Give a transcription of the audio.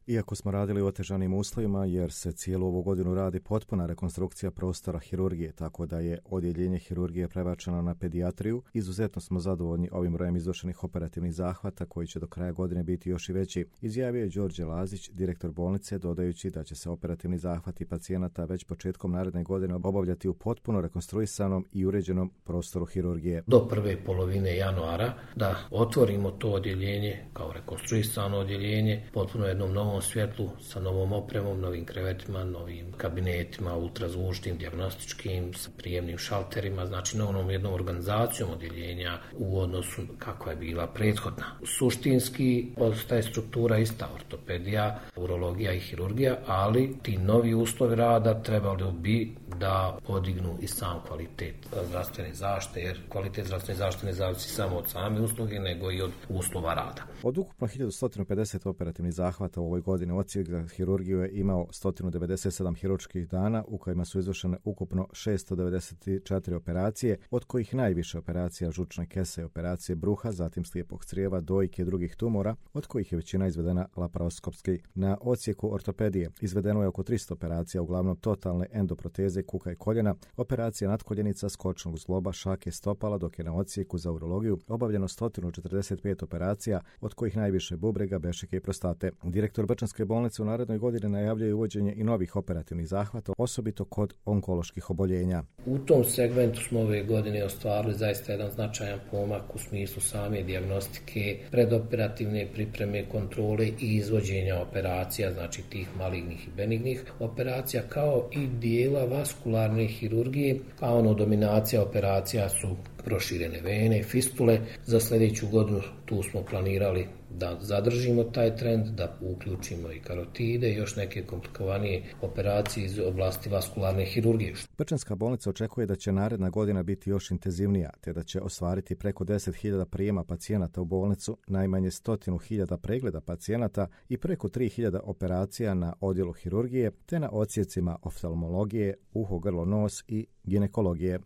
Iako smo radili u otežanim uslovima jer se cijelu ovu godinu radi potpuna rekonstrukcija prostora hirurgije, tako da je odjeljenje hirurgije prebačeno na pedijatriju, izuzetno smo zadovoljni ovim brojem izvršenih operativnih zahvata koji će do kraja godine biti još i veći, izjavio je Đorđe Lazić, direktor bolnice, dodajući da će se operativni zahvati pacijenata već početkom naredne godine obavljati u potpuno rekonstruisanom i uređenom prostoru hirurgije. Do prve polovine januara da otvorimo to odjeljenje kao rekonstruisano odjeljenje, potpuno jednom novom svjetlu, sa novom opremom, novim krevetima, novim kabinetima, ultrazvučnim, dijagnostičkim, sa prijemnim šalterima, znači novom jednom organizacijom odjeljenja u odnosu kako je bila prethodna. Suštinski ostaje struktura ista, ortopedija, urologija i hirurgija, ali ti novi uslovi rada trebali bi da podignu i sam kvalitet zdravstvene zaštite, jer kvalitet zdravstvene zaštite ne zavisi samo od same usluge, nego i od uslova rada. Od ukupno 1150 operativnih zahvata u ovoj godini odsjek za hirurgiju je imao 197 hirurških dana u kojima su izvršene ukupno 694 operacije, od kojih najviše operacija žučne kese i operacije bruha, zatim slijepog crijeva, dojke i drugih tumora, od kojih je većina izvedena laparoskopski. Na odsjeku ortopedije izvedeno je oko 300 operacija, uglavnom totalne endoproteze kuka i koljena, operacija natkoljenica, skočnog zgloba, šake, stopala, dok je na odsjeku za urologiju obavljeno 145 operacija, od kojih najviše bubrega, bešike i prostate. Direktor Brčanske bolnice u narednoj godini najavljuje uvođenje i novih operativnih zahvata, osobito kod onkoloških oboljenja. U tom segmentu smo ove godine ostvarili zaista jedan značajan pomak u smislu same dijagnostike, predoperativne pripreme, kontrole i izvođenja operacija, znači tih malignih i benignih operacija, kao i dijela vaskularne hirurgije, a dominacija operacija su proširene vene, fistule. Za sljedeću godinu tu smo planirali da zadržimo taj trend, da uključimo i karotide i još neke komplikovanije operacije iz oblasti vaskularne hirurgije. Brčanska bolnica očekuje da će naredna godina biti još intenzivnija, te da će ostvariti preko 10.000 prijema pacijenata u bolnicu, najmanje 100.000 pregleda pacijenata i preko 3.000 operacija na odjelu hirurgije, te na odsjecima oftalmologije, uho, grlo, nos i ginekologije.